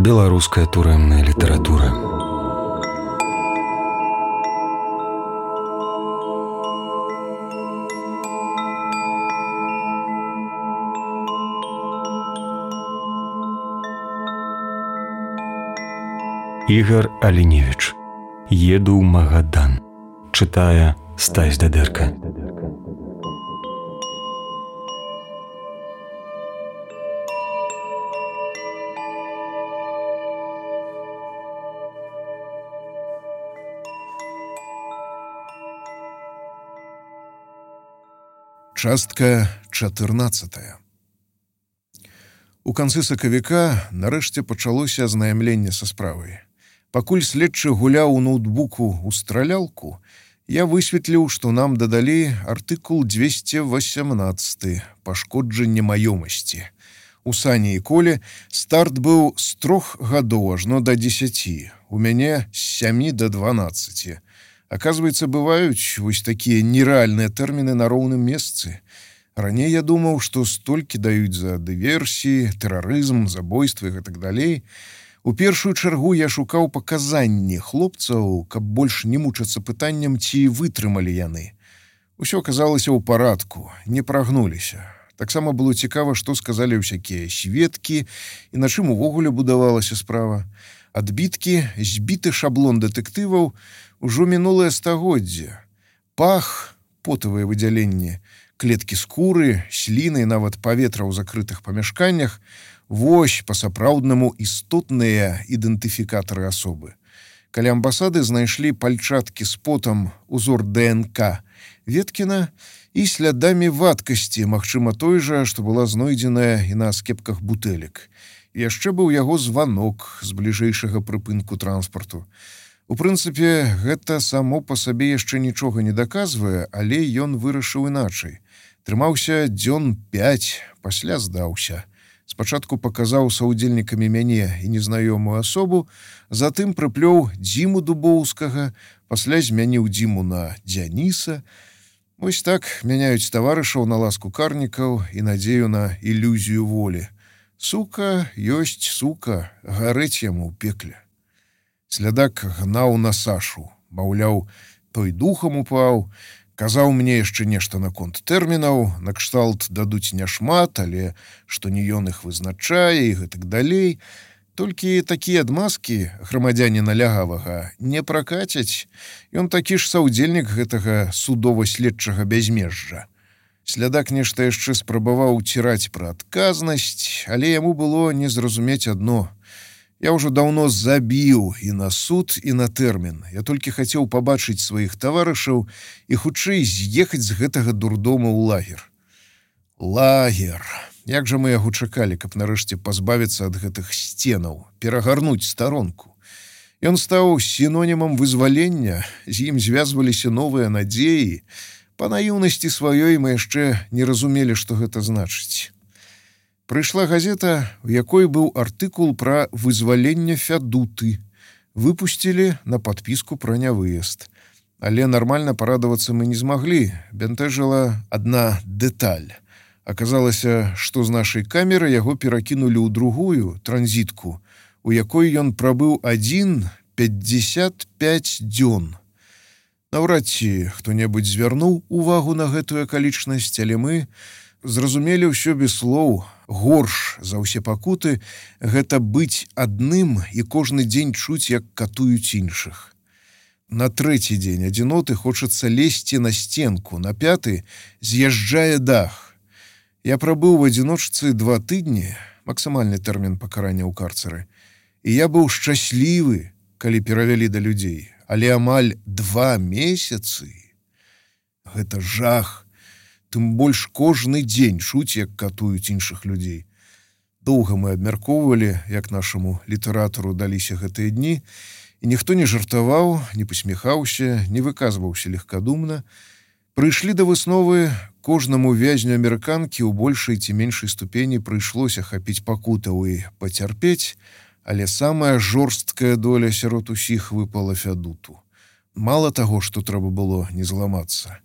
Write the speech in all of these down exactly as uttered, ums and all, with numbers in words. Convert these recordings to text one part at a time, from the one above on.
Беларуская турэмная літаратура. Ігар Аліневіч. Еду ў Магадан. Чытае Стась Дадэрка. Частка чатырнаццатая. У канцы сакавіка нарэшце пачалося азнаямленне са справай. Пакуль следчы гуляў у ноутбуку ў стралялку, я высветліў, што нам дадалі артыкул двести восемнадцать «Пашкоджанне маёмасці». У Сані і Коле старт быў з трох гадоў ажно да дзесяці, у мяне з сямі да дванаццаці. Оказывается, бываюць вось такія нерэальныя тэрміны на роўным месцы. Раней я думаў, што столькі даюць за дыверсіі, тэрарызм, забойствы і так далей. У першую чаргу я шукаў паказанні хлопцаў, каб больш не мучацца пытаннем, ці вытрымалі яны. Усё аказалася ў парадку, не прагнуліся. Таксама было цікава, што сказалі ўсякія сведкі і на чым увогуле будавалася справа. Адбіткі, збіты шаблон дэтэктываў, ужо мінулае стагоддзе. Пах, потавыя выдзяленні, клеткі скуры, сліны і нават паветра ў закрытых памяшканнях — вось па-сапраўднаму істотныя ідэнтыфікатары асобы. Каля амбасады знайшлі пальчаткі з потам узор ДНК Веткіна і слядамі вадкасці, магчыма той жа, што была знойдзеная і на скепках бутэлек. Яшчэ быў яго званок з бліжэйшага прыпынку транспарту. У прынцыпе, гэта само па сабе яшчэ нічога не даказвае, але ён вырашыў іначай. Трымаўся дзён пяць, пасля здаўся. Спачатку паказаў саўдзельнікамі мяне і незнаёмую асобу, затым прыплёў Дзіму Дубоўскага, пасля змяніў Дзіму на Дзяніса. Вось так мяняюць таварышаў на ласку карнікаў і надзею на ілюзію волі. Сука ёсць сука, гарэць яму ў пекле. Слядак гнаў на Сашу, маўляў, той духам упаў, казаў мне яшчэ нешта наконт тэрмінаў, накшталт дадуць няшмат, але што не ён іх вызначае і гэтак далей. Толькі такія адмазкі грамадзяніна Лягавага не пракацяць. Ён такі ж саўдзельнік гэтага судова-следчага бязмежжа. Слядак нешта яшчэ спрабаваў уціраць пра адказнасць, але яму было не зразумець адно. Я ўжо даўно забіў і на суд, і на тэрмін. Я толькі хацеў пабачыць сваіх таварышаў і хутчэй з'ехаць з гэтага дурдома ў лагер. Лагер. Як жа мы яго чакалі, каб нарэшце пазбавіцца ад гэтых сценаў, перагарнуць старонку. Ён стаў сінонімам вызвалення, з ім звязваліся новыя надзеі. Па наіўнасці сваёй мы яшчэ не разумелі, што гэта значыць. Прыйшла газета, у якой быў артыкул пра вызваленне Фядуты. Выпусцілі на падпіску пра нявыезд. Але нармальна парадавацца мы не змаглі. Бянтэжыла адна дэталь. Аказалася, што з нашай камеры яго перакінулі ў другую, транзітку, у якой ён прабыў адзін пятьдесят пять дзён. Наўрад ці хто-небудзь звярнуў увагу на гэтую акалічнасць, але мы зразумелі ўсё без слоў. Горш за ўсе пакуты гэта быць адным і кожны дзень чуць, як катуюць іншых. На трэці дзень адзіноты хочацца лезці на сценку, на пяты з'язджае дах. Я прабыў у адзіночцы два тыдні, максімальны тэрмін пакарання ў карцеры, і я быў шчаслівы, калі перавялі да людзей. Але амаль два месяцы — гэта жах. Тым больш кожны дзень чуць, як катуюць іншых людзей. Доўга мы абмяркоўвалі, як нашаму літаратару даліся гэтыя дні, і ніхто не жартаваў, не пасміхаўся, не выказваўся легкадумна. Прыйшлі да высновы, кожнаму вязню амерыканкі ў большай ці меншай ступені прыйшлося хапіць пакутаў і пацярпець, але самая жорсткая доля сярод усіх выпала Фядуту. Мала таго, што трэба было не зламацца.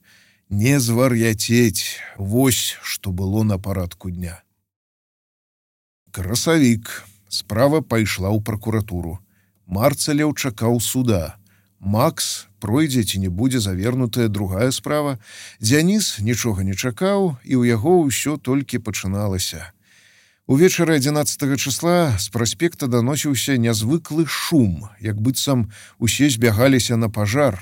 Не звар'яцець, вось што было на парадку дня. Красавік. Справа пайшла ў пракуратуру. Марцалеў чакаў суда. Макс пройдзе ці не будзе завернутая другая справа. Дзяніс нічога не чакаў, і ў яго ўсё толькі пачыналася. Увечары адзінаццатага чысла з праспекта даносіўся нязвыклы шум, як быццам усе збягаліся на пажар.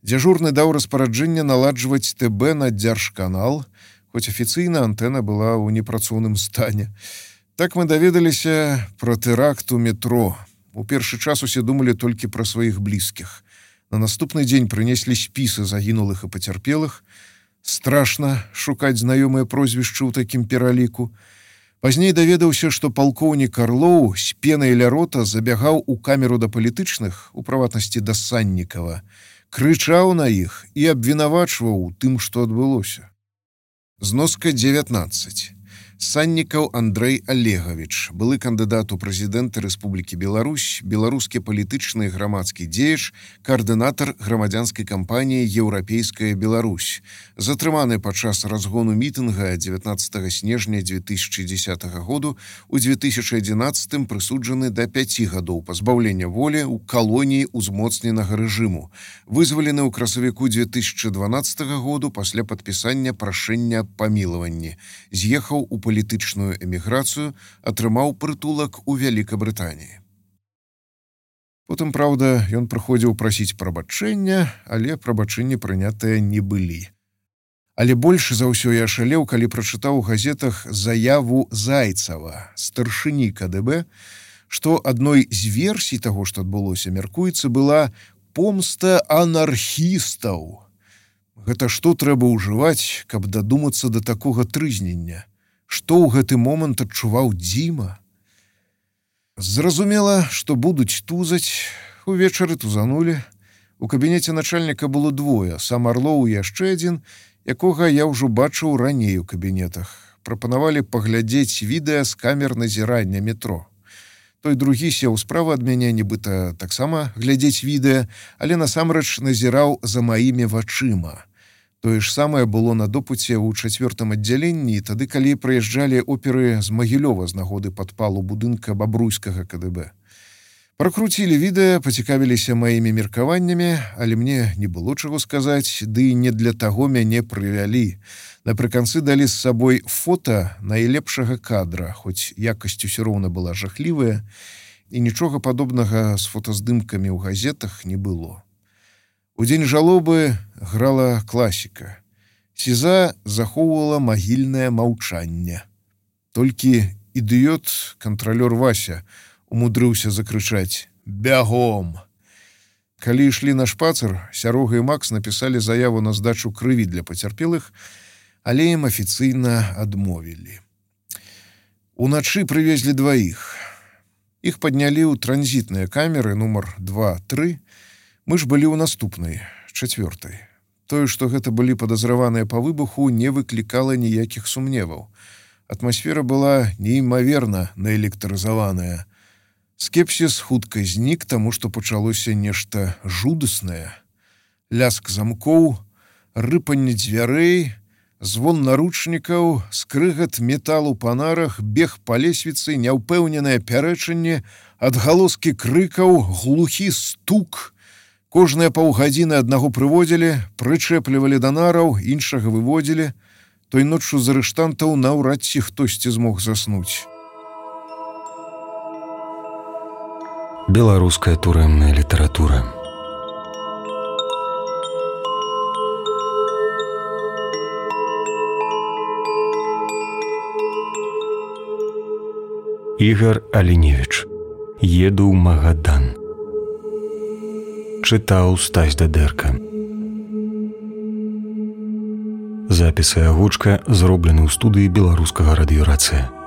Дзяжурны даў распараджэнне наладжваць ТБ на дзяржканал, хоць афіцыйна антэна была ў непрацоўным стане. Так мы даведаліся пра тэракт у метро. У першы час усе думалі толькі пра сваіх блізкіх. На наступны дзень прынеслі спісы загінулых і пацярпелых. Страшна шукаць знаёмыя прозвішчы ў такім пераліку. Пазней даведаўся, што палкоўнік Арлоў з пенай ля рота забягаў у камеру да палітычных, у прыватнасці да Саннікава, крычаў на іх і абвінавачваў у тым, што адбылося. Зноска дзевятнаццаць. Саннікаў Андрэй Олегавіч, былы кандыдат у прэзідэнты Рэспублікі Беларусь, беларускі палітычны і грамадскі дзеяч, каардынатар грамадзянскай кампаніі «Еўрапейская Беларусь», затрыманы падчас разгону мітынга дзевятнаццатага снежня дзве тысячы дзесятага году, у дзве тысячы адзінаццатым прысуджаны да пяці гадоў пазбаўлення волі ў калоніі ўзмоцненага рэжыму, вызвалены ў красавіку дзве тысячы дванаццатага году пасля падпісання прашэння аб памілаванні, з'ехаў у палітычную эміграцыю, атрымаў прытулак у Вялікабрытаніі. Потым, праўда, ён прыходзіў прасіць прабачэння, але прабачэнні прынятыя не былі. Але больш за ўсё я ашалеў, калі прачытаў у газетах заяву Зайцава, старшыні КДБ, што адной з версій таго, што адбылося, мяркуецца, была помста анархістаў. Гэта што трэба ўжываць, каб дадумацца да такога трызнення? Што ў гэты момант адчуваў Дзіма? Зразумела, што будуць тузаць. Увечары тузанулі. У кабінеце начальніка было двое, сам Арлоў і яшчэ адзін, якога я ўжо бачыў раней у кабінетах. Прапанавалі паглядзець відэа з камер назірання метро. Той другі сеў справа ад мяне, нібыта таксама глядзець відэа, але насамрэч назіраў за маімі вачыма. Тое ж самае было на допыце ў чацвёртым аддзяленні, тады, калі прыязджалі оперы з Магілёва з нагоды падпалу будынка бабруйскага КДБ. Пракруцілі відэа, пацікавіліся маімі меркаваннямі, але мне не было чаго сказаць, ды і не для таго мяне прывялі. Напрыканцы далі з сабой фота найлепшага кадра, хоць якасць усё роўна была жахлівая, і нічога падобнага з фотаздымкамі ў газетах не было. У дзень жалобы грала класіка. Сіза захоўвала магільнае маўчанне. Толькі ідыёт, кантралёр Вася, умудрыўся закрычаць «Бягом!». Калі ішлі на шпацыр, Сярога і Макс напісалі заяву на здачу крыві для пацярпелых, але ім афіцыйна адмовілі. Уначы прывезлі дваіх. Іх паднялі ў транзітныя камеры нумар два-тры. Мы ж былі ў наступнай, чацвёртай. Тое, што гэта былі падазраваныя па выбуху, не выклікала ніякіх сумневаў. Атмасфера была неймаверна наэлектрызаваная. Скепсіс хутка знік, таму што пачалося нешта жудаснае. Ляск замкоў, рыпанне дзвярэй, звон наручнікаў, скрыгат металу па нарах, бег па лесвіцы, няўпэўненае пярэчанне, адгалоскі крыкаў, глухі стук. Кожныя паўгадзіны аднаго прыводзілі, прычэплівалі да нараў, іншага выводзілі. Той ноччу з арыштантаў наўрад ці хтосьці змог заснуць. Беларуская турэмная літаратура. Ігар Аліневіч. Еду ў Магадан. Чытаў Стась Дадэрка. Запісы і агучка зроблены ў студыі беларускага радыёрацыя.